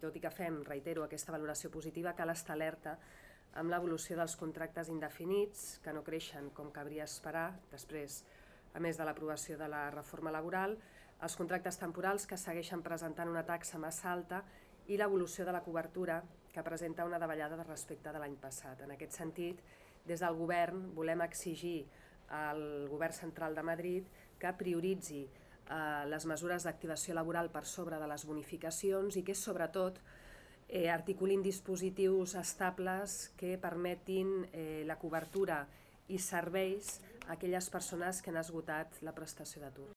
tot i que fem, reitero, aquesta valoració positiva, cal estar alerta amb l'evolució dels contractes indefinits, que no creixen com cabria esperar, després, a més de l'aprovació de la reforma laboral, els contractes temporals que segueixen presentant una taxa massa alta i l'evolució de la cobertura, que presenta una davallada respecte de l'any passat. En aquest sentit, des del govern volem exigir al govern central de Madrid que prioritzi les mesures d'activació laboral per sobre de les bonificacions i que, sobretot, articulin dispositius estables que permetin la cobertura i serveis a aquelles persones que han esgotat la prestació d'atur.